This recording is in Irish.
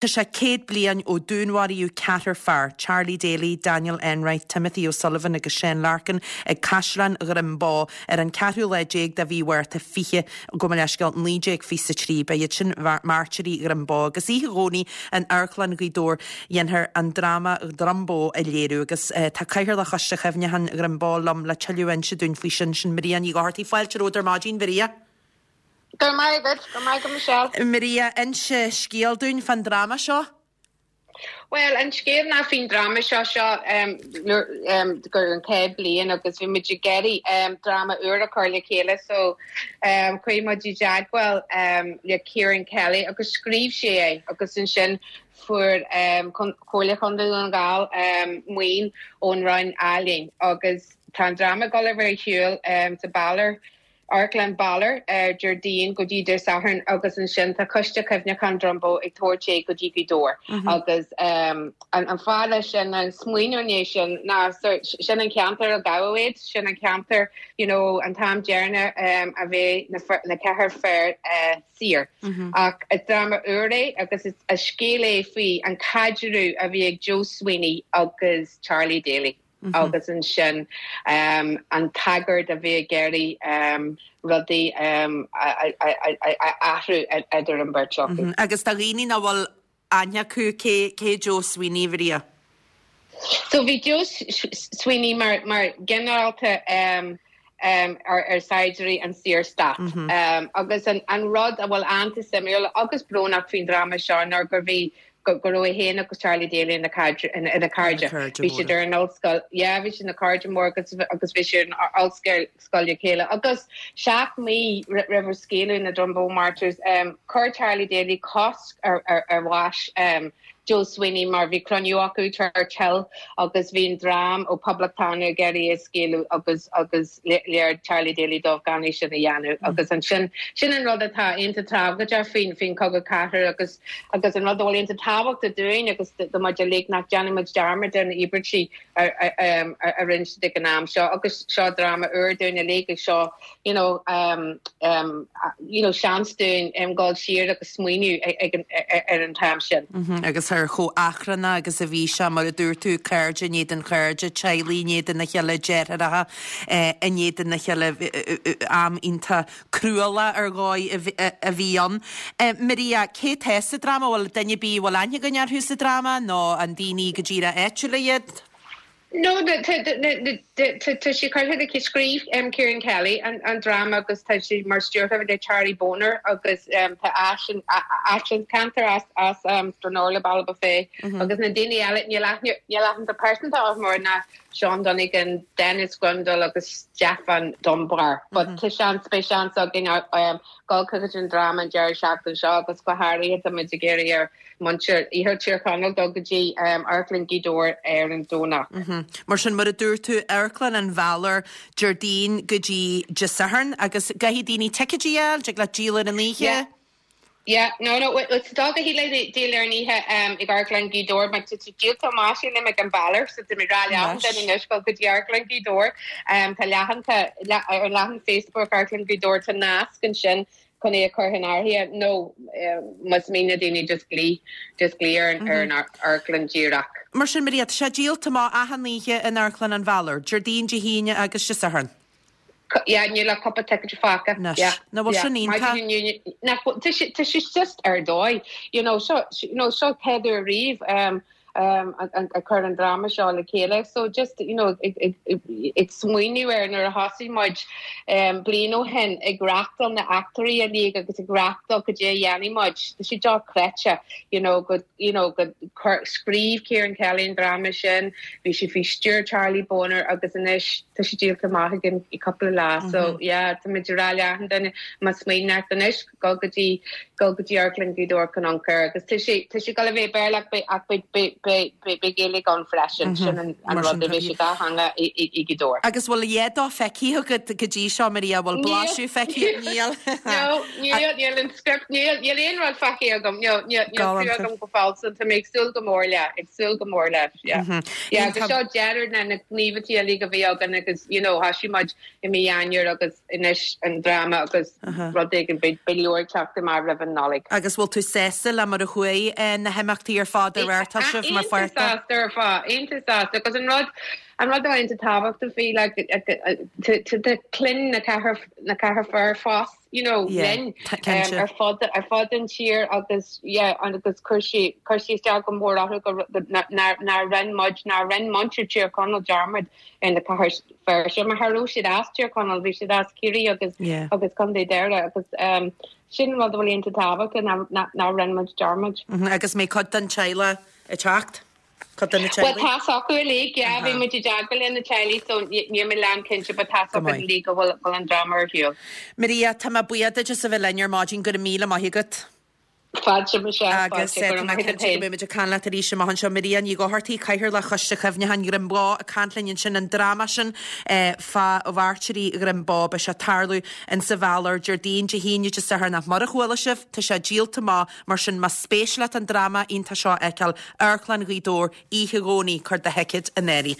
Tá sé 100 bliain ó dúnmharaíodh ceathrar fear, Charlie Daly, Daniel Enright, Timothy O'Sullivan agus Seán Larkin, ag Caisleán Dhroim Bó ar an ceathrú lá déag de mhí Mhárta 20, gabh mo leithscéal, 1923. Ba iad sin Mairtírigh Dhroim Bó agus oíche Dhomhnaigh in Amharclann Ghaoth Dobhair dhéanfar an dráma Drumboe a léiriú agus tá Cathaoirleach Choiste Chuimhneacháin Dhroim Bó liom le tuilleadh a inse dúinn faoi sin, sin Maria Ní Dhochartaigh. Fáilte romhat ar maidin, Mharia. Go raibh maith agat, go raibh maith agat Michelle. Maria, inse scéal dúinn fán dráma seo. Bhuel, an scéal ná faoin dráma seo, seo gur an chéad bliain agus bhí muid ag iarraidh dráma úr a chur le chéile so chuaigh muid i dteagmháil le Ciarán Kelly agus scríobh sé é agus ansin fuair Comhairle Chontae Dhún na nGall maoin ón Roinn Ealaíon agus tá an dráma ag dul a bheith ar siúl sa Balor Amharclann Balor ar Déardaoin go dtí Dé Sathairn agus ansin tá Coiste Cuimhneacháin Drumboe ag tabhairt é go dtí Gaoth Dobhair agus an fáth leis sin, an smaoineamh i ndiaidh sin ná sin an ceantar a gabhadh iad, sin an ceantar you know an t-am deireanach a bhí na ceathrar fear saor. Ach is dráma úr é agus is scéal é faoi an caidreamh a bhí ag Joe Sweeney agus Charlie Daly. agus ansin an tagairt a bhí ag iarraidh rudaí a athrú idir an bheirt acu. Agus do dhaoine nach bhfuil aithne acu, cé cé Joe Sweeney, Mharia? So bhí Joe Sweeney mar mar ginearálta ar saighdiúirí an Saorstát. Agus an rud a bhfuil iontach suimiúil agus brónach faoin dráma seo ná gur bhí go raibh é féin agus Charlie Daly ina cairde. Bhí siad ar an ollscoil, yeah, bhí siad ina cairde mór agus agus bhí siad ar an ollscoil scoil le chéile. Agus seacht mí roimh scaoileadh na Drumboe Martyrs, chuir Charlie Daly cosc ar ar bháis Joe Sweeney mar bhí cruinniú acu Church Hill agus bhí an dream ó Poblachtánaigh ag iarraidh é a scaoileadh agus agus léirigh Charlie Daly dóibh gan é sin a dhéanamh agus ansin, sin an rud atá iontach tragóideach faoin faoin Chogadh Cathartha agus agus an rud a bhfuil iontach tábhachtach dúinn agus do muid uilig nach déanfaidh muid dearmad ar na íobairtí a a rinne siad ag an am seo agus seo dráma úr dúinn uilig agus seo you know you know seans dúinn dul siar agus smaoineamh ag an ar an t-am sin. Agus ar chomh achrannach agus a bhí sé, mar a dúirt tú, cairde in éadan chairde, teaghlaigh in éadan a chéile, deartháireacha in éadan a chéile, am iontach cruálach ar dhóigh a bhí ann. Maria, cé tá sa dráma? Bhfuil duine ar bith a bhfuil aithne againn orthu sa dráma nó an daoine go díreach áitiúla iad? No, tá sé curtha le chéile, scríobh Ciarán Kelly an dráma agus tá sé mar stiúrthóir le Charlie Boner agus tá as an ceantar as Stranorlar, Ballybofey agus na daoine eile, níl aithne, níl aitheanta pearsanta orthu mar ná Seán Donegan, Dennis Grundle agus Stefan Dunbar. But tá seans, beidh seans againn dul chuig an dráma an deireadh seachtaine seo agus go háirithe tá muid ag iarraidh ar muintir Iarthar Tír Chonaill dul go dtí Amharclann Ghaoth Dobhair ar an Domhnach. Mar sin, mar a dúirt tú, Amharclann an Bhaloir, Déardaoin go dtí Dé Sathairn agus caithfidh daoine ticéidí a fháil, dtig leat díol ar an oíche? Yeah. Yeah, no, no, it's dá go híle díol ar an oíche ag Amharclann Ghaoth Dobhair, mar tá sé díolta amach sílim ag an Balor, so tá mé ag rá le achan duine anois dul go dtí Amharclann Ghaoth Dobhair. Tá leathanta, ar an leathan Facebook Amharclann Ghaoth Dobhair, tá nasc ansin chun é a chur in áirithe nó más mian le daoine just glaoch, just glaoch ar an ar an amharclann díreach. Mar sin, Maria, tá sé díolta amach achan oíche in Amharclann an Bhaloir, Déardaoin, Dé hAoine agus Dé Sathairn. Yeah, níl ach cúpla ticéad fágtha. Anois. Yeah, Nach bhfuil sin iontach? Maidin inniu, nach bhfuil, tá sé, tá sé just ar dóigh. You know, seo, you know, seo chéad uair riamh. a chur an dráma seo le chéile. So just, you know, ag smaoineamh air nuair a thosaigh muid bliain ó shin ag reachtáil na eachtraí uilig agus ag reachtáil cad é a dhéanfaidh muid, tá sé dochreidte, you know, go, you know, go chuir, scríobh Ciarán Kelly an dráma sin, bhí sé faoi stiúir Charlie Boner agus anois tá sé díolta amach againn i cúpla lá. So, yeah, tá muid ag rá le achan duine más mian leat anois, dul go dtí, dul go dtí Amharclann Ghaoth Dobhair chun amharc air agus tá sé, tá sé ag dul a bheith Béarla ach beidh, ach beidh, beidh. beidh beidh Gaeilge ann freisin. Sin an Mar rud, sin, beidh sé dátheangach i i Gaoth Dobhair. Agus bhfuil a dhath dó feicthe agat go dtí seo, Maria? Bhfuil blaiseadh feicthe? Níl. No, níl, níl an script, níl, níl aon rud feicthe agam, no, níl, níl clue agam go fóill, so tá mé ag súil go mór le, ag súil go mór leis, yeah. Yeah, agus seo deireadh na na gníomhaíochtaí uilig a bhí againn agus, you know, thoisigh muid i mí Eanáir agus anois an dráma agus rud éigin, beidh leabhar ag teacht amach roimh an Nollaig. Agus bhfuil tú sásta le mar a chuaigh na himeachtaí ar fad a reáchtáil sibh mar Iontach pháirt de? sásta ar fad, iontach sásta agus an rud, an rud atá iontach tábhachtach faoi like tá clann na ceathrar, na ceathrar fear fós, you know, Yeah, linn cinnte. ar fud, ar fud an tír agus yeah agus chuir sé, chuir sé isteach go mór orthu go, nár, nár rinne muid, nár rinne muintir Tír Chonaill dearmad ar na ceathrar fear seo mar cha raibh siad as Tír Chonaill, bhí siad as Ciarraí agus Yeah. agus Contae Dhoire agus um, sin rud a bhfuil iontach tábhachtach nár, nár, nár rinne muid dearmad. Agus an mbeidh cuid den teaghlach ag teacht? Cuid de na Bhuel teaghlaigh? tá's acu uilig, yeah, bhí muid i dteagmháil le na teaghlaigh so níl mé lán cinnte but tá's Go acu maith. uilig go bhfuil bhfuil an dráma ar shiúl. Maria, tá mé buíoch duit as a bheith linn ar maidin, go raibh míle maith agat. Fáilte Michelle, Agus fáilte, go tá raibh mé maith agat cinnte go féin. mbeidh muid ag caint leat arís amach anseo. Maria Ní Dhochartaigh, Cathaoirleach Choiste Chuimhneacháin Dhroim Bó ag caint linn ansin, an dráma sin fá mhairtírí Dhroim Bó, beidh sé ag tarlú in sa Mhealóir Déardaoin, Dé hAoine, Dé Sathairn ach mura chuala sibh, tá sé díolta amach, mar sin más spéis leat an dráma iontach seo a fheiceáil, Amharclann Ghaoth Dobhair, oíche Dhomhnaigh, cuir do thicéad in áirithe.